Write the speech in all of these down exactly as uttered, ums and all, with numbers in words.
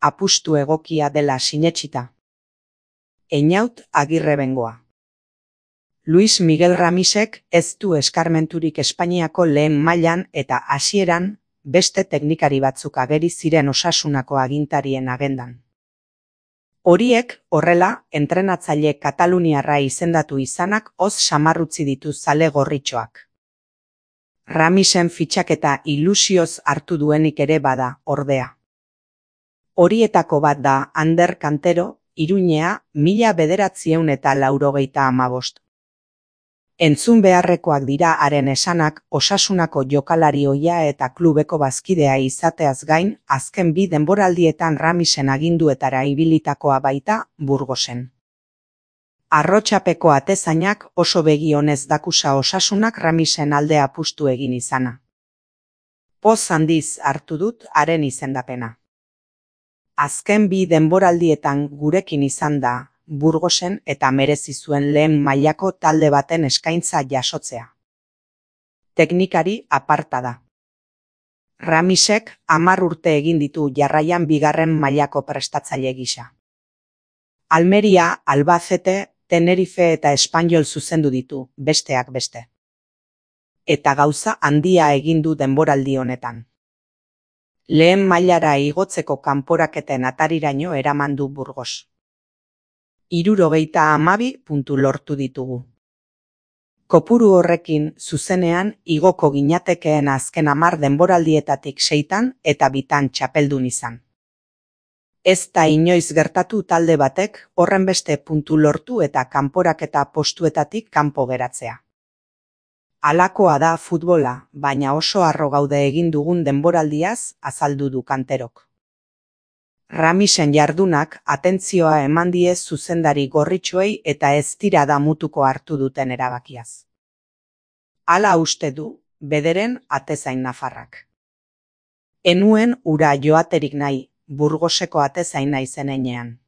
apustu egokia dela sinetsita. Einaut Agirre Bengoa. Luis Miguel Ramisek ez du eskarmenturik Espainiako lehen mailan eta hasieran beste teknikari batzuk ageri ziren Osasunako agintarien agendan. Horiek, horrela, entrenatzaile kataluniarra izendatu izanak hoz samarrutzi ditu zale gorritxoak. Ramisen fitxaketa ilusioz hartu duenik ere bada, ordea. Horietako bat da Ander Kantero, Iruñea, mila bederatziehun eta laurogeita hamabost. Entzun beharrekoak dira haren esanak Osasunako jokalari ohia eta klubeko bazkidea izateaz gain, azken bi denboraldietan Ramisen aginduetara ibilitakoa baita Burgosen. Arrotxapeko atezainak oso begi onez dakusa Osasunak Ramisen alde apustu egin izana. Poz handiz hartu dut haren izendapena. Azken bi denboraldietan gurekin izan da Burgosen eta merezi zuen lehen mailako talde baten eskaintza jasotzea. Teknikari aparta da. Ramisek hamar urte egin ditu jarraian bigarren mailako prestatzaile gisa. Almeria, Albacete, Tenerife eta Espanyol zuzendu ditu, besteak beste. Eta gauza handia egin du denboraldi honetan. Lehen mailara igotzeko kanporaketen atariraino eraman du Burgos. Hirurogeita hamabi puntu lortu ditugu. Kopuru horrekin zuzenean igoko ginatekeen azken hamar denboraldietatik seitan eta bitan txapeldun izan. Ez da inoiz gertatu talde batek horren beste puntu lortu eta kanporaketa postuetatik kanpo geratzea. Halakoa da futbola, baina oso harro gaude egin dugun denboraldiaz azaldu du Kanterok. Ramisen jardunak atentzioa eman die zuzendari gorritxoei eta ez dira damutuko hartu duten erabakiaz. Hala uste du, bederen atezain nafarrak. Enuen ura joaterik nahi, Burgoseko atezaina izenean.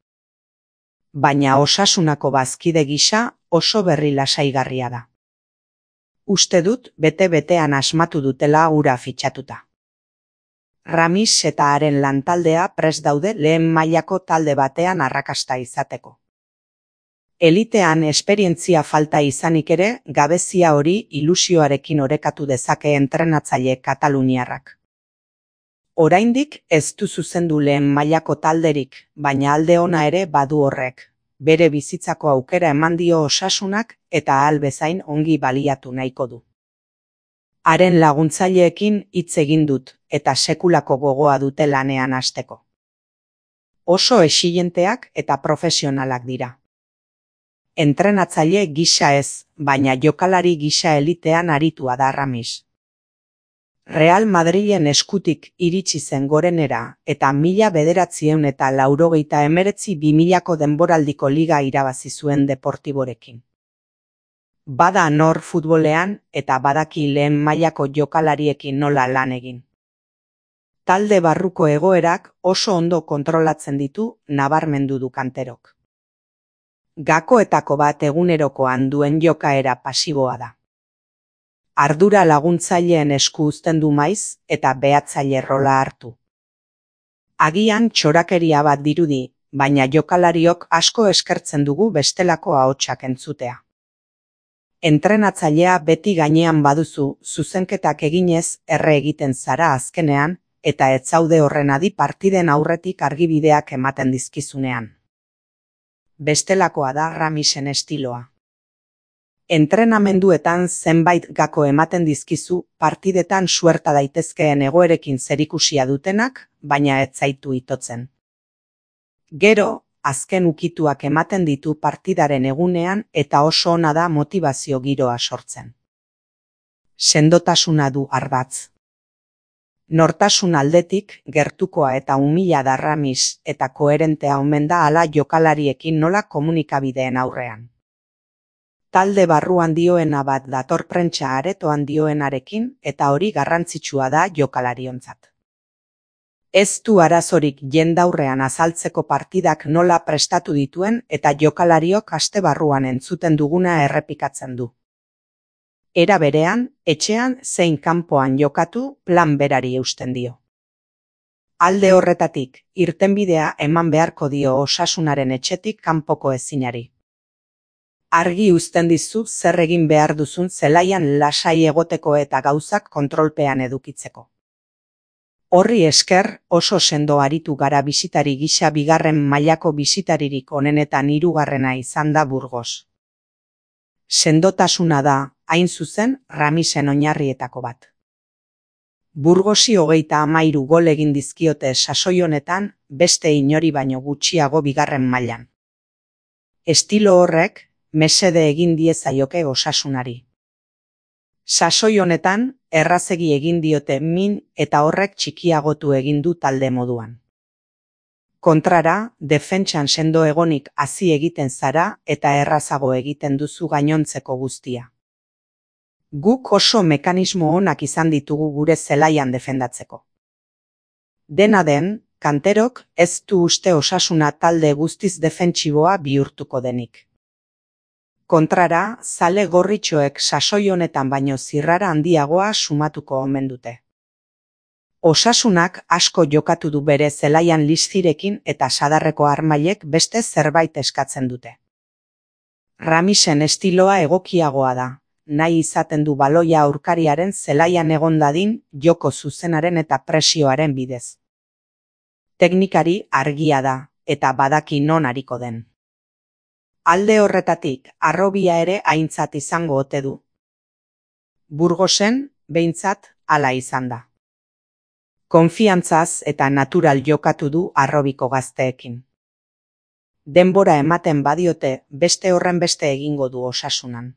Baina Osasunako bazkide gisa oso berri lasaigarria da. Uste dut bete-betean asmatu dutela ura fitxatuta. Ramis eta haren lantaldea prest daude lehen mailako talde batean arrakasta izateko. Elitean esperientzia falta izanik ere, gabezia hori ilusioarekin orekatu dezake entrenatzaile kataluniarrak. Oraindik ez du zuzendu lehen mailako talderik, baina alde ona ere badu horrek. Bere bizitzako aukera eman dio Osasunak eta ahal bezain ongi baliatu nahiko du. Haren laguntzaileekin hitz egin dut eta sekulako gogoa dute lanean hasteko. Oso exilenteak eta profesionalak dira. Entrenatzaile gisa ez, baina jokalari gisa elitean aritua da Ramis. Real Madrilen eskutik iritsi zen gorenera eta mila bederatziehun eta laurogeita hemeretzi bi milako denboraldiko liga irabazi zuen Deportiborekin. Bada nor futbolean eta badaki lehen mailako jokalariekin nola lan egin. Talde barruko egoerak oso ondo kontrolatzen ditu nabarmendu du Kanterok. Gakoetako bat egunerokoan duen jokaera pasiboa da. Ardura laguntzaileen esku uzten du maiz eta behatzaile rola hartu. Agian txorakeria bat dirudi, baina jokalariok asko eskertzen dugu bestelako ahotsak entzutea. Entrenatzailea beti gainean baduzu, zuzenketak eginez erre egiten zara azkenean, eta ez zaude horren adi partiden aurretik argibideak ematen dizkizunean. Bestelakoa da Ramisen estiloa. Entrenamenduetan zenbait gako ematen dizkizu partidetan suerta daitezkeen egoerekin zerikusia dutenak, baina ez zaitu itotzen. Gero, azken ukituak ematen ditu partidaren egunean eta oso ona da motivazio giroa sortzen. Sendotasuna du ardatz. Nortasun aldetik, gertukoa eta umila da Ramis eta koherentea omen da hala jokalariekin nola komunikabideen aurrean. Talde barruan dioena bat dator prentsa aretoan dioenarekin eta hori garrantzitsua da jokalariontzat. Ez du arazorik jendaurrean azaltzeko partidak nola prestatu dituen eta jokalariok aste barruan entzuten duguna errepikatzen du. Era berean, etxean zein kanpoan jokatu plan berari eusten dio. Alde horretatik, irtenbidea eman beharko dio osasunaren etxetik kanpoko ezinari. Argi uzten dizu zer egin behar duzun zelaian lasai egoteko eta gauzak kontrolpean edukitzeko. Horri esker oso sendo aritu gara bisitari gisa bigarren mailako bisitaririk onenetan hirugarrena izan da Burgos. Sendotasuna da, hain zuzen, Ramisen oinarrietako bat. Burgosi hogeita hamairu gol egin dizkiote sasoi honetan, beste inori baino gutxiago bigarren mailan. Estilo horrek, mesede egin diezaioke osasunari. Sasoi honetan, errazegi egin diote min eta horrek txikiagotu egin du talde moduan. Kontrara, defentsan sendo egonik hazi egiten zara eta errazago egiten duzu gainontzeko guztia. Guk oso mekanismo onak izan ditugu gure zelaian defendatzeko. Dena den, Kanterok ez du uste Osasuna talde guztiz defentsiboa bihurtuko denik. Kontrara, zale gorritxoek sasoi honetan baino zirrara handiagoa sumatuko omen dute. Osasunak asko jokatu du bere zelaian listirekin eta sadarreko armailek beste zerbait eskatzen dute. Ramisen estiloa egokiagoa da, nahi izaten du baloia aurkariaren zelaian egon dadin joko zuzenaren eta presioaren bidez. Teknikari argia da, eta badaki non ariko den. Alde horretatik, harrobia ere aintzat izango ote du. Burgosen, behintzat, hala izan da. Konfiantzaz eta natural jokatu du harrobiko gazteekin. Denbora ematen badiote, beste horren beste egingo du Osasunan.